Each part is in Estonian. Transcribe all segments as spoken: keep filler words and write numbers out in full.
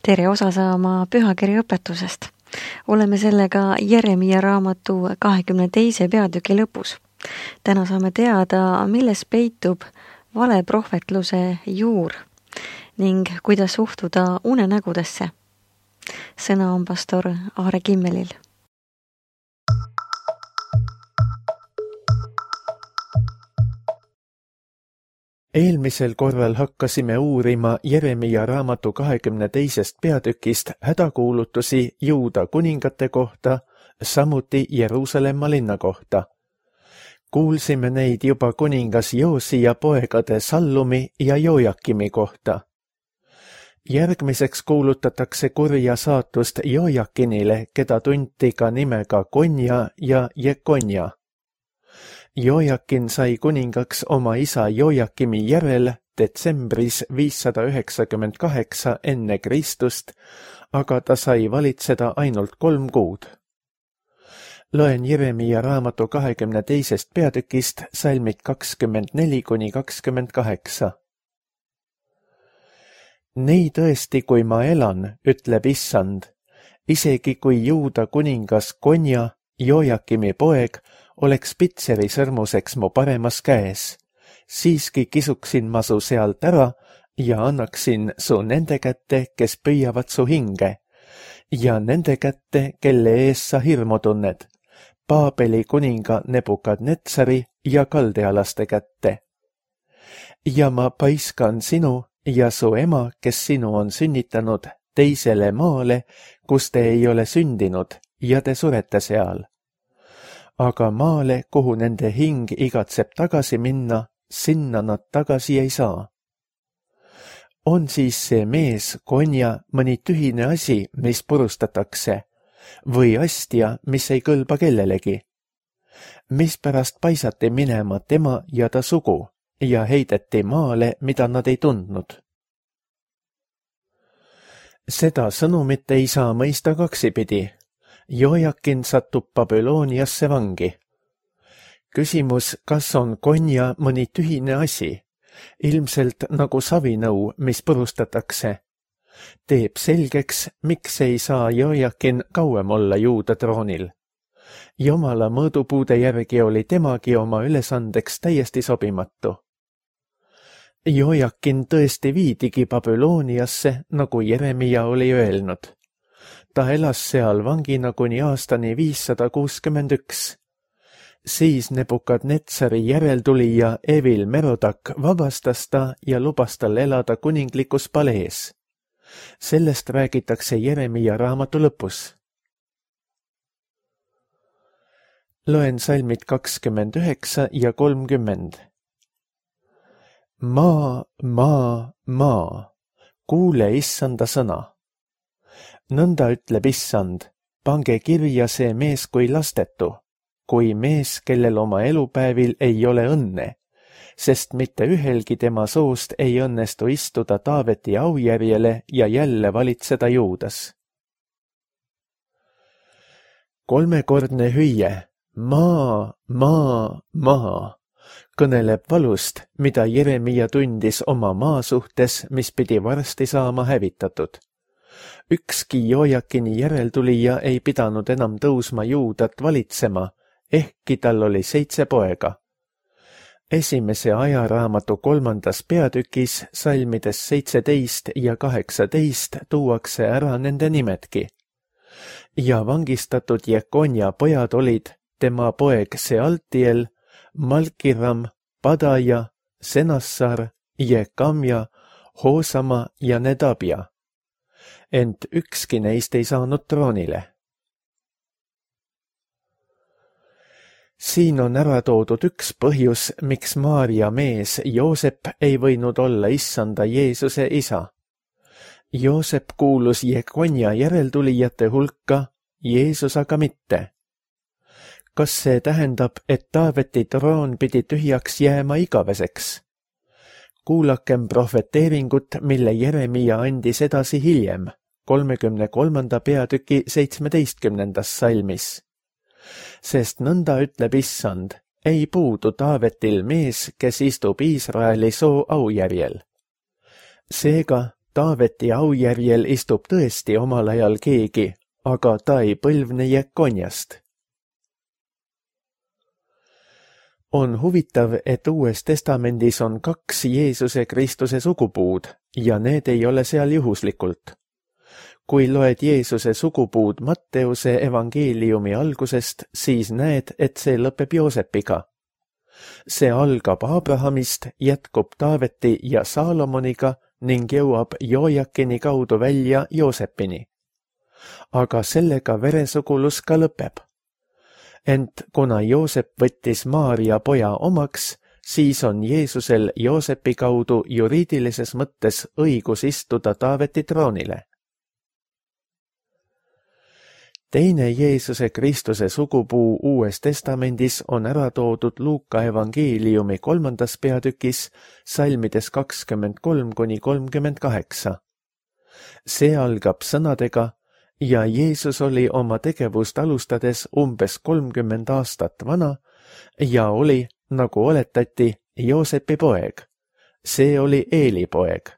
tere osa saama pühakirja õpetusest. Oleme sellega Jeremia raamatu kahekümne teise peatüki lõpus. Täna saame teada, milles peitub valeprohvetluse juur ning kuidas suhtuda unenägudesse. Sõna on pastor Aare Kimmelil. Eelmisel korral hakkasime uurima Jeremia raamatu kahekümne teisest peatükist hädakuulutusi Juuda kuningate kohta, samuti Jeruusalemma linna kohta. Kuulsime neid juba kuningas Joosia poegade Sallumi ja Jojakimi kohta. Järgmiseks kuulutatakse kurja saatust Jojakinile, keda tunti ka nimega Konja ja Jekonja. Jojakin sai kuningaks oma isa Jojakimi järel detsembris viissada üheksakümmend kaheksa enne Kristust, aga ta sai valitseda ainult kolm kuud. Loen Jeremia raamatu kahekümne teisest peatükist salmid kakskümmend neli kuni kakskümmend kaheksa. Nii tõesti, kui ma elan, ütleb issand, isegi kui Juuda kuningas Konja, Jojakimi poeg, oleks Pitseri sõrmuseks mu paremas käes, siiski kisuksin ma su sealt ära ja annaksin su nende kätte, kes püüavad su hinge, ja nende kätte, kelle ees sa hirmu tunned, Paabeli kuninga Nebukadnetsari ja kaldealaste kätte. Ja ma paiskan sinu ja su ema, kes sinu on sünnitanud, teisele maale, kus te ei ole sündinud, ja te surete seal. Aga maale, kuhu nende hing igatseb tagasi minna, sinna nad tagasi ei saa. On siis see mees, Konja, mõni tühine asi, mis purustatakse, või astja, mis ei kõlba kellelegi? Mispärast paisati minema tema ja ta sugu ja heideti maale, mida nad ei tundnud? Seda sõnumit ei saa mõista kaksipidi. Jojakin satub Babyloniasse vangi. Küsimus, kas on Konja mõni tühine asi, ilmselt nagu savinõu, mis purustatakse, teeb selgeks, miks ei saa Jojakin kauem olla Juuda troonil. Jumala mõõdupuude järgi oli temagi oma ülesandeks täiesti sobimatu. Jojakin tõesti viidigi Babyloniasse, nagu Jeremia oli öelnud. Ta elas seal vangina kuni aastani viissada kuuskümmend üks. Siis Nebukadnetsari järeltulija Evil Merodak vabastas ta ja lubas tal elada kuninglikus palees. Sellest räägitakse Jeremia raamatu lõpus. Loen salmid kakskümmend üheksa ja kolmkümmend. Maa, maa, maa, kuule issanda sõna. Nõnda ütleb issand, pange kirja see mees kui lastetu, kui mees, kellel oma elupäevil ei ole õnne, sest mitte ühelgi tema soost ei õnnestu istuda Taaveti aujärjele ja jälle valitseda Juudas. Kolmekordne hüüe, maa, maa, maa, kõneleb valust, mida Jeremia tundis oma maa suhtes, mis pidi varsti saama hävitatud. Ükski Jojakini järeltulija ei pidanud enam tõusma Juudat valitsema, ehkki tal oli seitse poega. Esimese ajaraamatu kolmandas peatükis salmides seitseteist ja kaheksateist tuuakse ära nende nimedki. Ja vangistatud Jekonja pojad olid tema poeg Sealtiel, Malkiram, Padaja, Senassar, Jekamja, Hoosama ja Nedabja. Ent ükski neist ei saanud troonile. Siin on ära toodud üks põhjus, miks Maaria mees Joosep ei võinud olla issanda Jeesuse isa. Joosep kuulus Jekonja järeltulijate hulka, Jeesus aga mitte. Kas see tähendab, et Taaveti troon pidi tühjaks jääma igaveseks? Kuulakem prohveteeringut, mille Jeremia andis edasi hiljem, kolmekümne kolmanda peatüki seitsmeteistkümnendas salmis. Sest nõnda ütleb issand, ei puudu Taavetil mees, kes istub Iisraeli soo aujärjel. Seega Taaveti aujärjel istub tõesti omal ajal keegi, aga ta ei põlvne Jekonjast. On huvitav, et Uues Testamendis on kaks Jeesuse Kristuse sugupuud ja need ei ole seal juhuslikult. Kui loed Jeesuse sugupuud Matteuse evangeeliumi algusest, siis näed, et see lõpeb Joosepiga. See algab Abrahamist, jätkub Taaveti ja Saalomoniga ning jõuab Jojakini kaudu välja Joosepini. Aga sellega veresugulus ka lõpeb. Ent kuna Joosep võttis Maaria poja omaks, siis on Jeesusel Joosepi kaudu juriidilises mõttes õigus istuda Taaveti troonile. Teine Jeesuse Kristuse sugupuu Uues Testamendis on ära toodud Luuka evangeeliumi kolmandas peatükis salmides kakskümmend kolm kuni kolmkümmend kaheksa. See algab sõnadega: ja Jeesus oli oma tegevust alustades umbes kolmkümmend aastat vana ja oli, nagu oletati, Joosepi poeg. See oli Eeli poeg.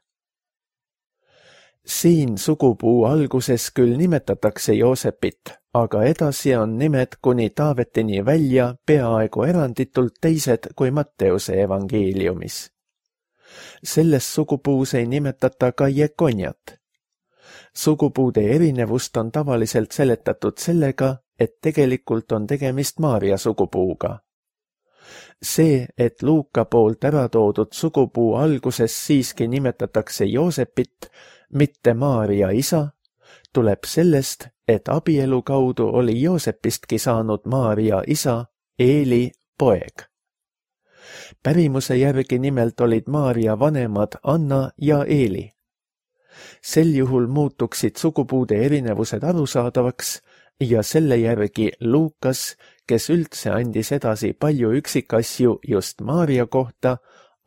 Siin sugupuu alguses küll nimetatakse Joosepit, aga edasi on nimed kuni Taavetini välja peaaegu eranditult teised kui Matteuse evangeeliumis. Selles sugupuus ei nimetata ka Jekonjat. Sugupuude erinevust on tavaliselt seletatud sellega, et tegelikult on tegemist Maaria sugupuuga. See, et Luuka poolt ära toodud sugupuu alguses siiski nimetatakse Joosepit, mitte Maaria isa, tuleb sellest, et abielu kaudu oli Joosepistki saanud Maaria isa, Eeli poeg. Pärimuse järgi nimelt olid Maaria vanemad Anna ja Eeli. Sel juhul muutuksid sugupuude erinevused arusaadavaks ja selle järgi Luukas, kes üldse andis edasi palju üksikasju just Maaria kohta,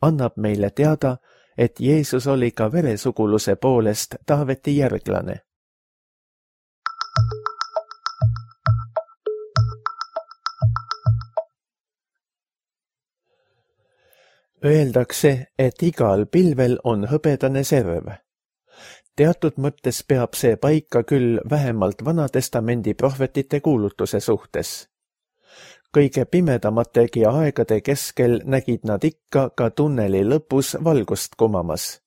annab meile teada, et Jeesus oli ka veresuguluse poolest Taaveti järglane. Öeldakse, et igal pilvel on hõbedane serv. Teatud mõttes peab see paika küll vähemalt Vanatestamendi prohvetite kuulutuse suhtes. Kõige pimedamategi aegade keskel nägid nad ikka ka tunneli lõpus valgust kumamas.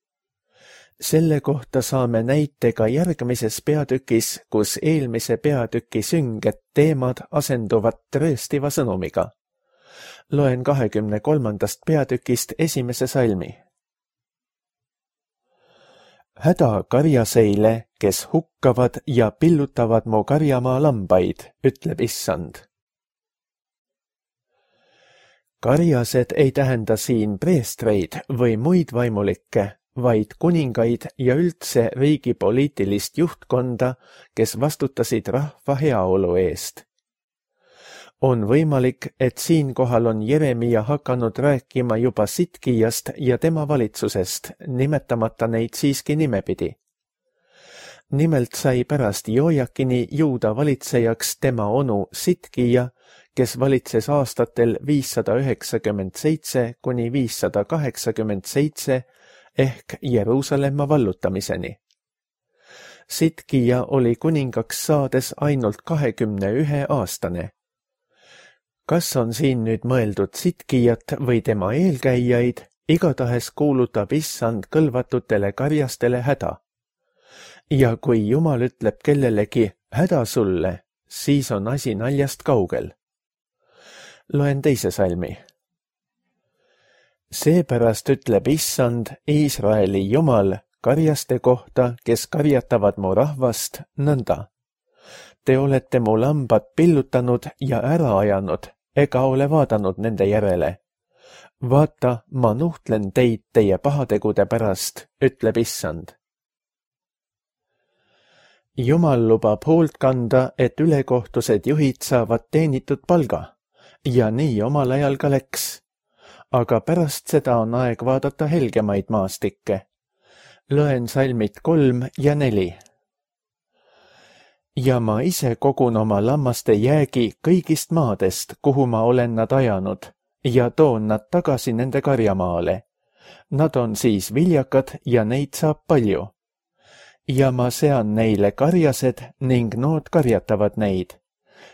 Selle kohta saame näite ka järgmises peatükis, kus eelmise peatüki sünged teemad asenduvad trööstiva sõnumiga. Loen kahekümne kolmandast peatükist esimese salmi. Häda karjaseile, kes hukkavad ja pillutavad mu karjamaa lambaid, ütleb Issand. Karjased ei tähenda siin preestreid või muid vaimulikke, vaid kuningaid ja üldse riigi poliitilist juhtkonda, kes vastutasid rahva heaolu eest. On võimalik, et siinkohal on Jeremia hakanud rääkima juba Sitkijast ja tema valitsusest, nimetamata neid siiski nimepidi. Nimelt sai pärast Jojakini Juuda valitsejaks tema onu Sitkija, kes valitses aastatel viissada üheksakümmend seitse kuni viissada kaheksakümmend seitse ehk Jeruusalemma vallutamiseni. Sitkija oli kuningaks saades ainult kahekümne ühe aastane. Kas on siin nüüd mõeldud Sitkijat või tema eelkäijaid, igatahes kuulutab Issand kõlvatutele karjastele häda. Ja kui Jumal ütleb kellelegi häda sulle, siis on asi naljast kaugel. Loen teise salmi. Seepärast ütleb Issand, Iisraeli Jumal, karjaste kohta, kes karjatavad mu rahvast, nõnda. Te olete mu lambad pillutanud ja ära ajanud, ega ole vaadanud nende järele. Vaata, ma nuhtlen teid teie pahategude pärast, ütleb Issand. Jumal lubab hoolt kanda, et ülekohtused juhid saavad teenitud palga, ja nii omal ajal ka läks. Aga pärast seda on aeg vaadata helgemaid maastikke. Loen salmid kolm ja neli. Ja ma ise kogun oma lammaste jäägi kõigist maadest, kuhu ma olen nad ajanud, ja toon nad tagasi nende karjamaale. Nad on siis viljakad ja neid saab palju. ja ma sean neile karjased ning nood karjatavad neid.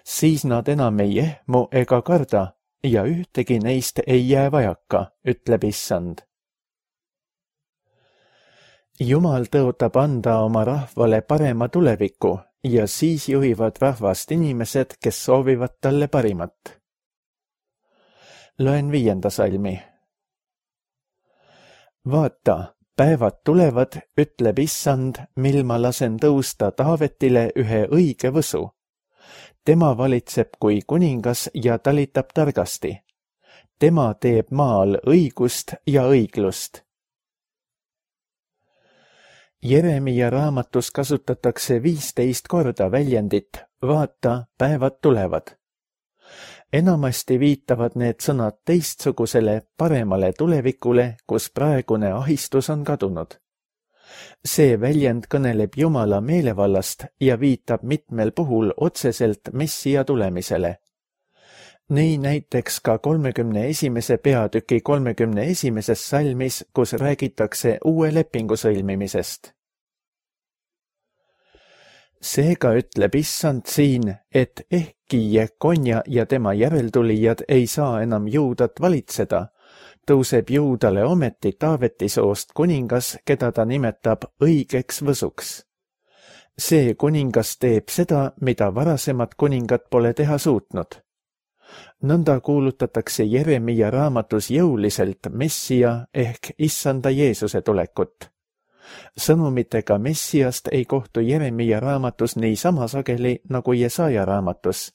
Siis nad enam ei ehmu ega karda ja ühtegi neist ei jää vajaka, ütleb Issand. Jumal tõotab anda oma rahvale parema tuleviku ja siis juhivad rahvast inimesed, kes soovivad talle parimat. Loen viienda salmi. Vaata, päevad tulevad, ütleb Issand, mil ma lasen tõusta Taavetile ühe õige võsu. Tema valitseb kui kuningas ja talitab targasti. Tema teeb maal õigust ja õiglust. Jeremia raamatus kasutatakse viisteist korda väljendit vaata, päevad tulevad. Enamasti viitavad need sõnad teistsugusele paremale tulevikule, kus praegune ahistus on kadunud. See väljend kõneleb Jumala meelevallast ja viitab mitmel puhul otseselt Messia tulemisele. Nii näiteks ka kolmekümne esimese peatüki kolmekümne esimeses salmis, kus räägitakse uue lepingu sõlmimisest. Seega ütleb Issand siin, et ehkki Jekonja ja tema järeltulijad ei saa enam Juudat valitseda, tõuseb Juudale ometi Taaveti soost kuningas, keda ta nimetab õigeks võsuks. See kuningas teeb seda, mida varasemad kuningad pole teha suutnud. Nõnda kuulutatakse Jeremia raamatus jõuliselt Messia ehk Issanda Jeesuse tulekut. Sõnumitega Messiast ei kohtu Jeremia raamatus nii sama sageli nagu Jesaja raamatus,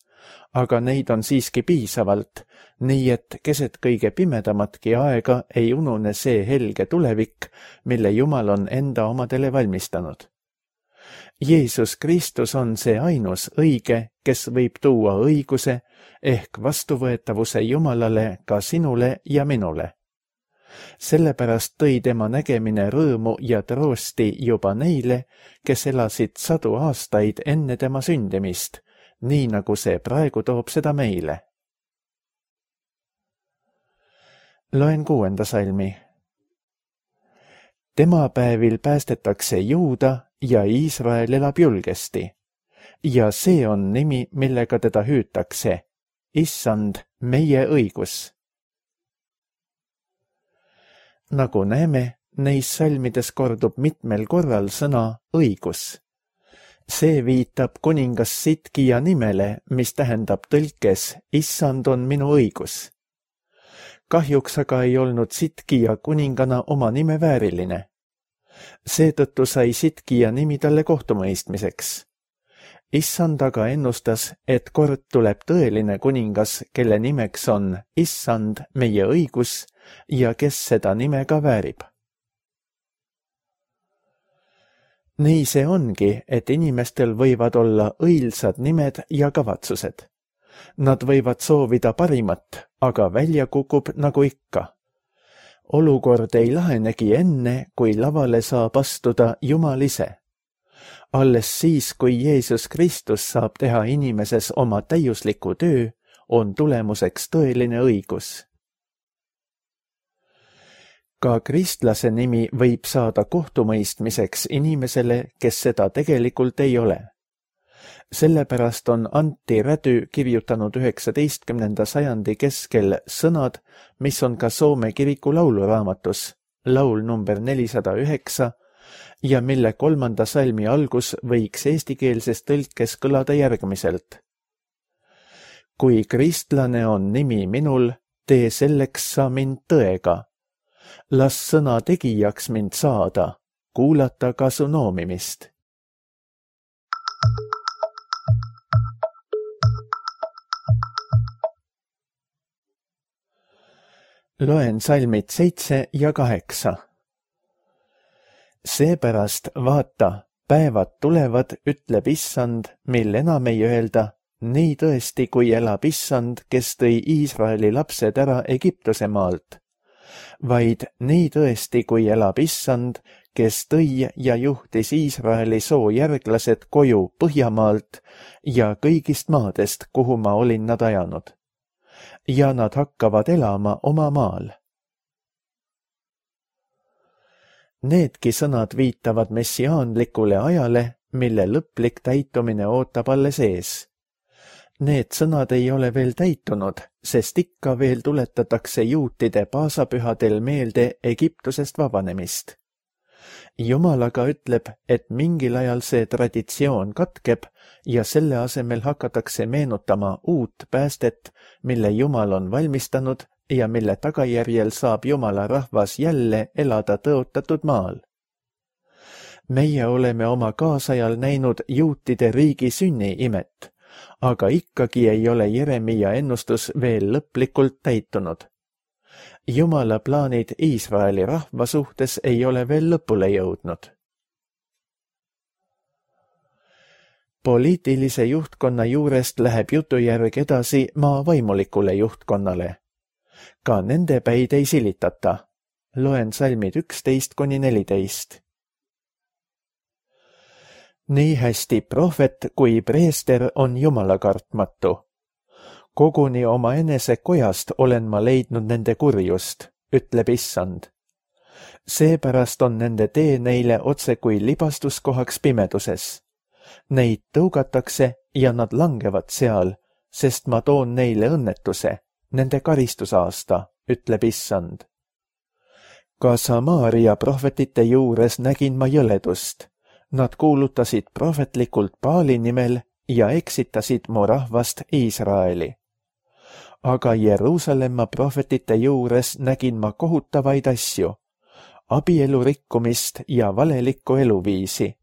aga neid on siiski piisavalt, nii et keset kõige pimedamatki aega ei unune see helge tulevik, mille Jumal on enda omadele valmistanud. Jeesus Kristus on see ainus õige, kes võib tuua õiguse ehk vastuvõetavuse Jumalale ka sinule ja minule. Sellepärast tõi tema nägemine rõõmu ja troosti juba neile, kes elasid sadu aastaid enne tema sündimist, nii nagu see praegu toob seda meile. Loen kuuenda salmi. Tema päevil päästetakse Juuda ja Iisrael elab julgesti. Ja see on nimi, millega teda hüütakse. Issand, meie õigus. Nagu näeme, neis salmides kordub mitmel korral sõna õigus. See viitab kuningas Sidkia nimele, mis tähendab tõlkes Issand on minu õigus. Kahjuks aga ei olnud Sidkia kuningana oma nime vääriline. Seetõttu sai Sidkia nimi talle kohtumõistmiseks. Issand aga ennustas, et kord tuleb tõeline kuningas, kelle nimeks on Issand, meie õigus, ja kes seda nime ka väärib. Nii see ongi, et inimestel võivad olla õilsad nimed ja kavatsused. Nad võivad soovida parimat, aga välja kukub nagu ikka. Olukord ei lahenegi enne, kui lavale saab astuda Jumal ise. Alles siis, kui Jeesus Kristus saab teha inimeses oma täiusliku töö, on tulemuseks tõeline õigus. Ka kristlase nimi võib saada kohtumõistmiseks inimesele, kes seda tegelikult ei ole. Sellepärast on Antti Rädy kirjutanud üheksateistkümnenda sajandi keskel sõnad, mis on ka Soome kiriku lauluraamatus, laul number nelisada üheksa, ja mille kolmanda salmi algus võiks eestikeelses tõlkes kõlada järgmiselt. Kui kristlane on nimi minul, tee selleks sa mind tõega. Las sõna tegijaks mind saada, kuulata ka su noomimist. Loen salmid seitse ja kaheksa. Seepärast vaata, päevad tulevad, ütleb Issand, mil enam ei öelda, nii tõesti, kui elab Issand, kes tõi Iisraeli lapsed ära Egiptuse maalt, vaid nii tõesti, kui elab Issand, kes tõi ja juhtis Iisraeli soojärglased koju Põhjamaalt ja kõigist maadest, kuhu ma olin nad ajanud. Ja nad hakkavad elama oma maal. Needki sõnad viitavad messiaanlikule ajale, mille lõplik täitumine ootab alles ees. Need sõnad ei ole veel täitunud, sest ikka veel tuletatakse juutide paasapühadel meelde Egiptusest vabanemist. Jumal aga ütleb, et mingil ajal see traditsioon katkeb ja selle asemel hakatakse meenutama uut päästet, mille Jumal on valmistanud ja mille tagajärjel saab Jumala rahvas jälle elada tõotatud maal. Meie oleme oma kaasajal näinud juutide riigi sünni imet, aga ikkagi ei ole Jeremia ennustus veel lõplikult täitunud. Jumala plaanid Iisraeli rahva suhtes ei ole veel lõpule jõudnud. Poliitilise juhtkonna juurest läheb jutujärg edasi maa vaimulikule juhtkonnale. Ka nende päid ei silitata. Loen salmid üksteist kuni neliteist. Nii hästi prohvet kui preester on Jumala kartmatu. Koguni oma enese kojast olen ma leidnud nende kurjust, ütleb Issand. Seepärast on nende tee neile otse kui libastuskohaks pimeduses. Neid tõugatakse ja nad langevad seal, sest ma toon neile õnnetuse, nende karistusaasta, ütleb Issand. Ka Samaaria prohvetite juures nägin ma jõledust. Nad kuulutasid prohvetlikult Baali nimel ja eksitasid mu rahvast Iisraeli. Aga Jeruusalemma prohvetite juures nägin ma kohutavaid asju, abielu rikkumist ja valelikku eluviisi.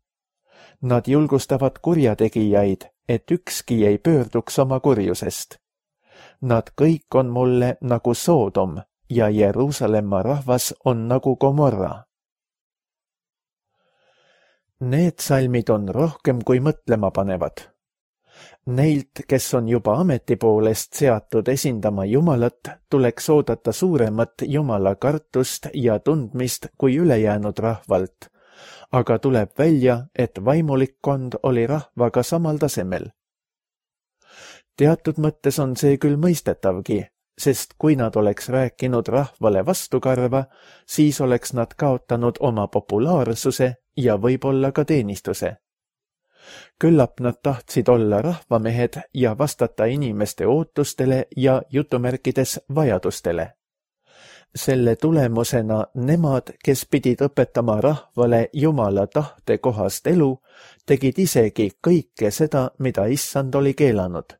Nad julgustavad kurjategijaid, et ükski ei pöörduks oma kurjusest. Nad kõik on mulle nagu Soodom ja Jeruusalemma rahvas on nagu Gomorra. Need salmid on rohkem kui mõtlema panevad. Neilt, kes on juba ameti poolest seatud esindama Jumalat, tuleks oodata suuremat Jumala kartust ja tundmist kui ülejäänud rahvalt, aga tuleb välja, et vaimulikkond oli rahvaga samal tasemel. Teatud mõttes on see küll mõistetavgi, sest kui nad oleks rääkinud rahvale vastukarva, siis oleks nad kaotanud oma populaarsuse ja võib-olla ka teenistuse. Küllap nad tahtsid olla rahvamehed ja vastata inimeste ootustele ja jutumärkides vajadustele. Selle tulemusena nemad, kes pidid õpetama rahvale Jumala tahte kohast elu, tegid isegi kõike seda, mida Issand oli keelanud.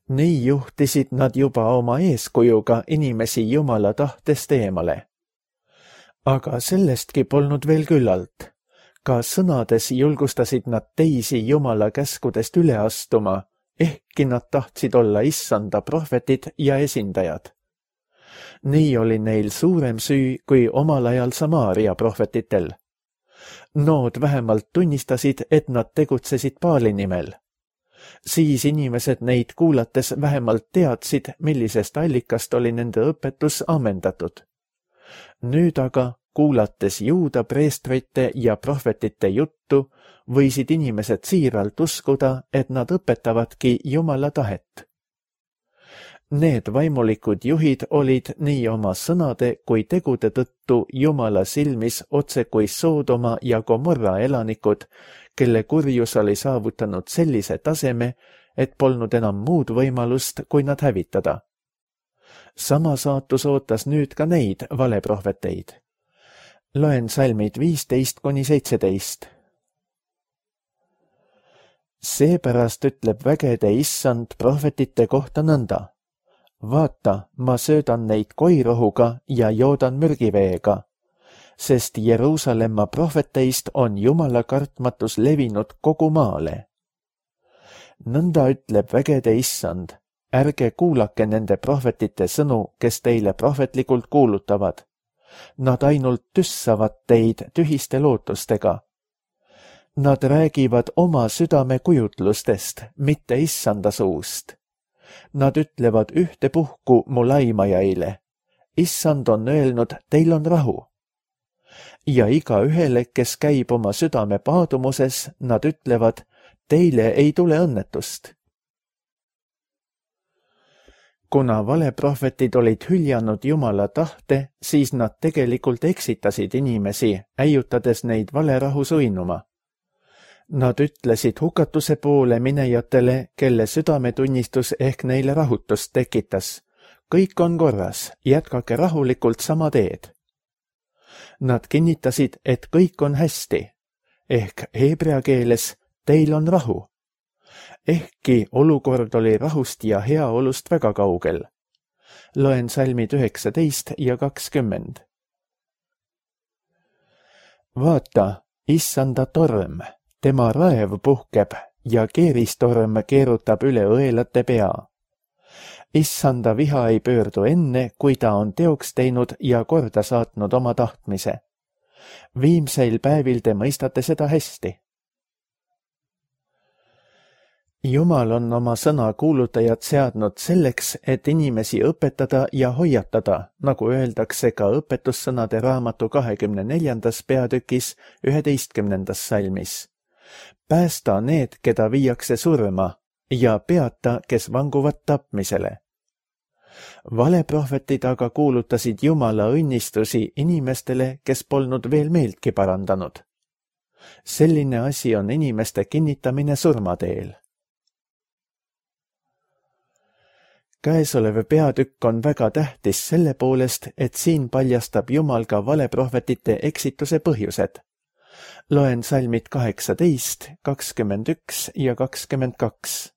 Nii juhtisid nad juba oma eeskujuga inimesi Jumala tahtest eemale. Aga sellestki polnud veel küllalt. Ka sõnades julgustasid nad teisi Jumala käskudest üle astuma, ehkki nad tahtsid olla Issanda prohvetid ja esindajad. Nii oli neil suurem süü kui omal ajal Samaaria prohvetitel. Nood vähemalt tunnistasid, et nad tegutsesid Baali nimel. Siis inimesed neid kuulates vähemalt teadsid, millisest allikast oli nende õpetus ammendatud. Nüüd aga, kuulates juuda preestrite ja prohvetite juttu, võisid inimesed siiralt uskuda, et nad õpetavadki Jumala tahet. Need vaimulikud juhid olid nii oma sõnade kui tegude tõttu Jumala silmis otse kui Soodoma ja Gomorra elanikud, kelle kurjus oli saavutanud sellise taseme, et polnud enam muud võimalust, kui nad hävitada. Sama saatus ootas nüüd ka neid valeprohveteid. Loen salmid viisteist kuni seitseteist. Seepärast ütleb vägede Issand prohvetite kohta nõnda. Vaata, ma söödan neid koirohuga ja joodan mürgiveega, sest Jeruusalemma prohveteist on Jumala kartmatus levinud kogu maale. Nõnda ütleb vägede Issand, ärge kuulake nende prohvetite sõnu, kes teile prohvetlikult kuulutavad. Nad ainult tüssavad teid tühiste lootustega. Nad räägivad oma südame kujutlustest, mitte Issanda suust. Nad ütlevad ühtepuhku mu laimajaile. Issand on öelnud, teil on rahu. Ja iga ühele, kes käib oma südame paadumuses, nad ütlevad, teile ei tule õnnetust. Kuna valeprohvetid olid hüljanud Jumala tahte, siis nad tegelikult eksitasid inimesi, äiutades neid valerahus uinuma. Nad ütlesid hukatuse poole minejatele, kelle südametunnistus ehk neile rahutust tekitas. Kõik on korras, jätkake rahulikult sama teed. Nad kinnitasid, et kõik on hästi, ehk heebrea keeles teil on rahu. Ehkki olukord oli rahust ja heaolust väga kaugel. Loen salmid üheksateist ja kakskümmend. Vaata, issanda torm, tema raev puhkeb ja keeristorm keerutab üle õelate pea. Issanda viha ei pöördu enne, kui ta on teoks teinud ja korda saatnud oma tahtmise. Viimseil päevil te mõistate seda hästi. Jumal on oma sõna kuulutajad seadnud selleks, et inimesi õpetada ja hoiatada, nagu öeldakse ka õpetussõnade raamatu kahekümne neljandas peatükis üheteistkümnendas salmis. Päästa need, keda viiakse surma, ja peata, kes vanguvad tapmisele. Valeprohvetid aga kuulutasid Jumala õnnistusi inimestele, kes polnud veel meeltki parandanud. Selline asi on inimeste kinnitamine surmateel. Käesolev peatükk on väga tähtis selle poolest, et siin paljastab Jumal ka valeprohvetite eksituse põhjused. Loen salmid kaheksateist, kakskümmend üks ja kakskümmend kaks.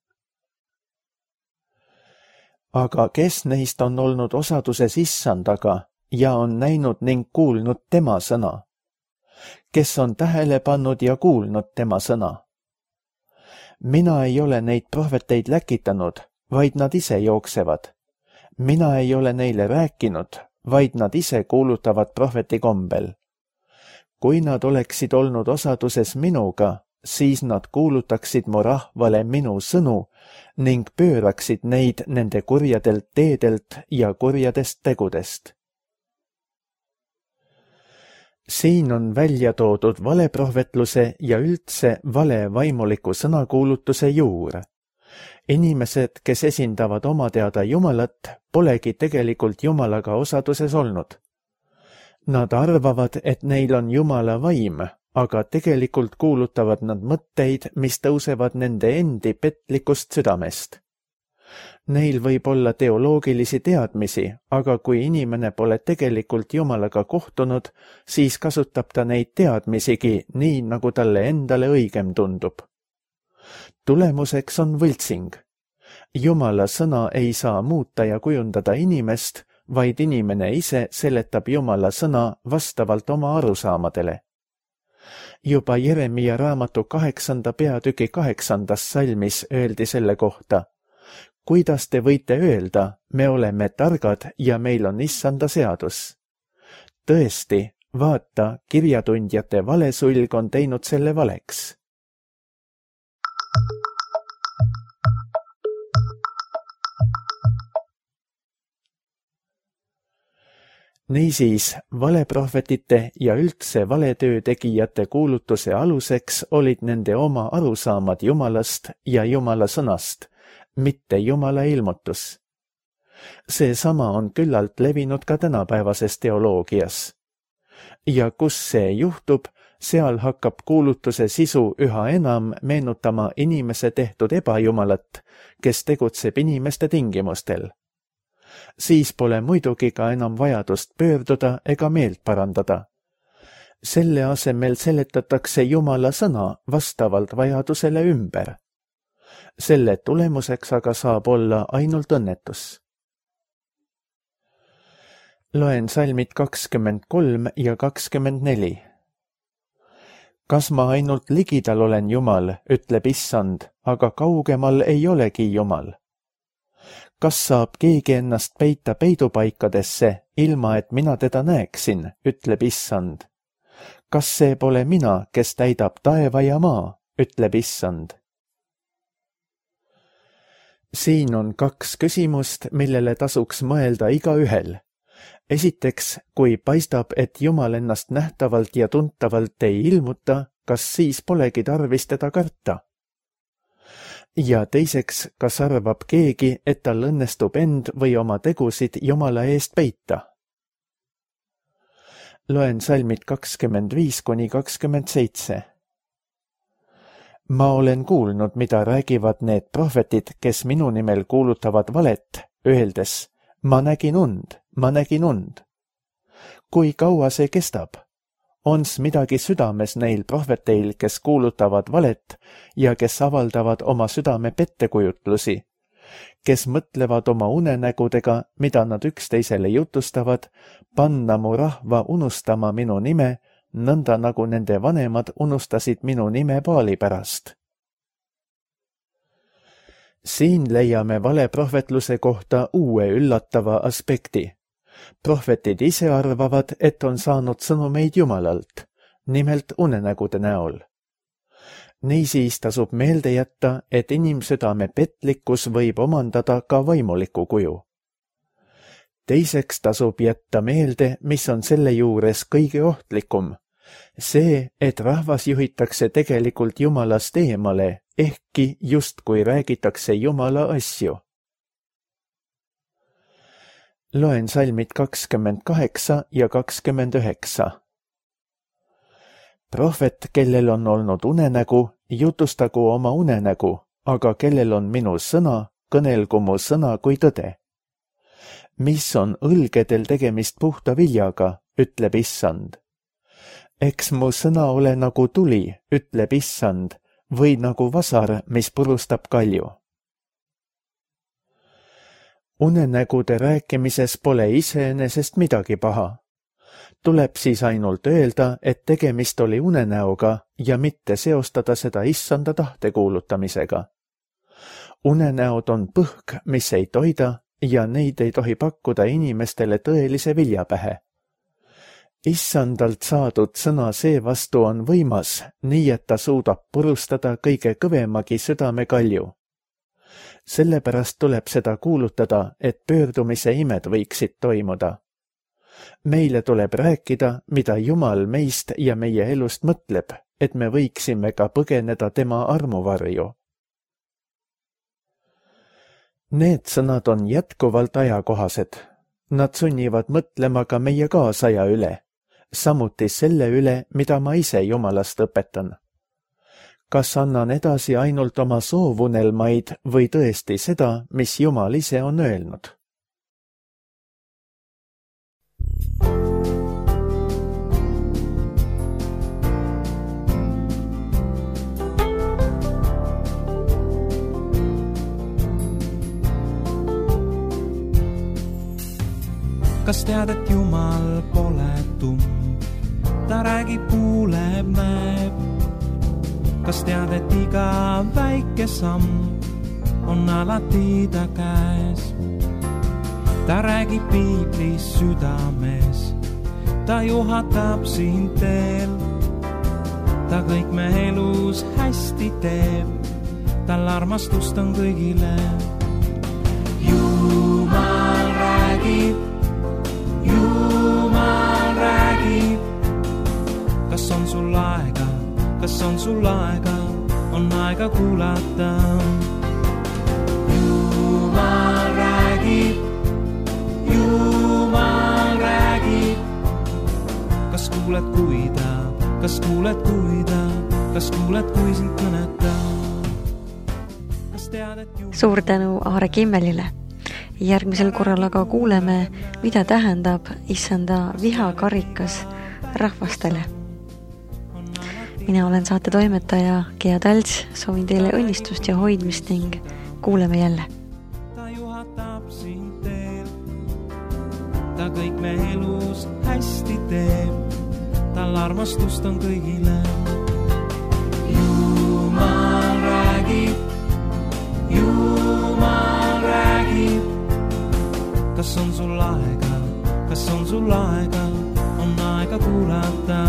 Aga kes neist on olnud osaduses issandaga ja on näinud ning kuulnud tema sõna? Kes on tähele pannud ja kuulnud tema sõna? Mina ei ole neid prohveteid läkitanud, vaid nad ise jooksevad. Mina ei ole neile rääkinud, vaid nad ise kuulutavad prohveti kombel. Kui nad oleksid olnud osaduses minuga, siis nad kuulutaksid mu rahvale minu sõnu ning pööraksid neid nende kurjadelt teedelt ja kurjadest tegudest. Siin on välja toodud valeprohvetluse ja üldse vale vaimuliku sõnakuulutuse juur. Inimesed, kes esindavad oma teada Jumalat, polegi tegelikult Jumalaga osaduses olnud. Nad arvavad, et neil on Jumala vaim, aga tegelikult kuulutavad nad mõtteid, mis tõusevad nende endi petlikust südamest. Neil võib olla teoloogilisi teadmisi, aga kui inimene pole tegelikult Jumalaga kohtunud, siis kasutab ta neid teadmisigi nii, nagu talle endale õigem tundub. Tulemuseks on võltsing. Jumala sõna ei saa muuta ja kujundada inimest, vaid inimene ise seletab Jumala sõna vastavalt oma arusaamadele. Juba Jeremia raamatu kaheksanda peatüki kaheksandas salmis öeldi selle kohta. Kuidas te võite öelda, me oleme targad ja meil on issanda seadus? Tõesti, vaata, kirjatundjate valesulg on teinud selle valeks. Niisiis, valeprohvetite ja üldse valetöö tegijate kuulutuse aluseks olid nende oma arusaamad Jumalast ja Jumala sõnast, mitte Jumala ilmutus. Seesama on küllalt levinud ka tänapäevases teoloogias. Ja kus see juhtub, seal hakkab kuulutuse sisu üha enam meenutama inimese tehtud ebajumalat, kes tegutseb inimeste tingimustel. Siis pole muidugi ka enam vajadust pöörduda ega meelt parandada. Selle asemel seletatakse Jumala sõna vastavalt vajadusele ümber. Selle tulemuseks aga saab olla ainult õnnetus. Loen salmid kakskümmend kolm ja kakskümmend neli. Kas ma ainult ligidal olen Jumal, ütleb issand, aga kaugemal ei olegi Jumal? Kas saab keegi ennast peita peidupaikadesse, ilma et mina teda näeksin, ütleb issand? Kas see pole mina, kes täidab taeva ja maa, ütleb issand? Siin on kaks küsimust, millele tasuks mõelda igaühel. Esiteks, kui paistab, et Jumal ennast nähtavalt ja tuntavalt ei ilmuta, kas siis polegi tarvis teda karta? ja teiseks, kas arvab keegi, et tal õnnestub end või oma tegusid Jumala eest peita? Loen salmid kakskümmend viis kuni kakskümmend seitse. Ma olen kuulnud, mida räägivad need prohvetid, kes minu nimel kuulutavad valet, öeldes, ma nägin und, ma nägin und. Kui kaua see kestab? Ons midagi südames neil prohveteil, kes kuulutavad valet ja kes avaldavad oma südame pettekujutlusi, kes mõtlevad oma unenägudega, mida nad üksteisele jutustavad, panna mu rahva unustama minu nime, nõnda nagu nende vanemad unustasid minu nime Baali pärast. Siin leiame valeprohvetluse kohta uue üllatava aspekti. Prohvetid ise arvavad, et on saanud sõnumeid Jumalalt, nimelt unenägude näol. Niisiis tasub meelde jätta, et inimsüdame petlikkus võib omandada ka vaimuliku kuju. Teiseks tasub jätta meelde, mis on selle juures kõige ohtlikum. See, et rahvas juhitakse tegelikult Jumalast eemale, ehkki justkui räägitakse Jumala asju. Loen salmid kakskümmend kaheksa ja kakskümmend üheksa. Prohvet, kellel on olnud unenägu, jutustagu oma unenägu, aga kellel on minu sõna, kõnelgu mu sõna kui tõde. Mis on õlgedel tegemist puhta viljaga, ütleb Issand. Eks mu sõna ole nagu tuli, ütleb Issand, või nagu vasar, mis purustab kalju. Unenägude rääkimises pole iseenesest midagi paha. Tuleb siis ainult öelda, et tegemist oli unenäoga ja mitte seostada seda Issanda tahte kuulutamisega. Unenäod on põhk, mis ei toida ja neid ei tohi pakkuda inimestele tõelise vilja pähe. Issandalt saadud sõna seevastu on võimas, nii et ta suudab purustada kõige kõvemagi südame kalju. Sellepärast tuleb seda kuulutada, et pöördumise imed võiksid toimuda. Meile tuleb rääkida, mida Jumal meist ja meie elust mõtleb, et me võiksime ka põgeneda tema armuvarju. Need sõnad on jätkuvalt ajakohased. Nad sunnivad mõtlema ka meie kaasaja üle, samuti selle üle, mida ma ise Jumalast õpetan. Kas annan edasi ainult oma soovunelmaid või tõesti seda, mis Jumal ise on öelnud? Kas tead, et Jumal pole tumm? Ta räägib, kuuleb, näeb. Kas tead, et iga väike samm on alati ta käes? Ta räägib piiblis südames, ta juhatab sind teel. Ta kõik me elus hästi teeb, tal armastust on kõigile. Jumal räägib, Jumal räägib. Kas on sul aega, kas on sul aega, on aega kuulata. Jumal räägib, Jumal räägib. Kas kuuled, kui ta, kas kuuled, kui ta, kas kuuled, kui sind kõnetab? Kas tead, et Jumal... Suur tänu Aare Kimmelile. Järgmisel korral aga kuuleme, mida tähendab Issanda vihakarikas rahvastele. Mina olen saate toimetaja Gea Talts, soovin teile õnnistust ja hoidmist ning kuuleme jälle. Ta juhatab sind teel, ta kõik me elus hästi teeb, tal armastust on kõigile. Jumal räägib, Jumal räägib. Kas on sul aega, kas on sul aega, on aega kuulata.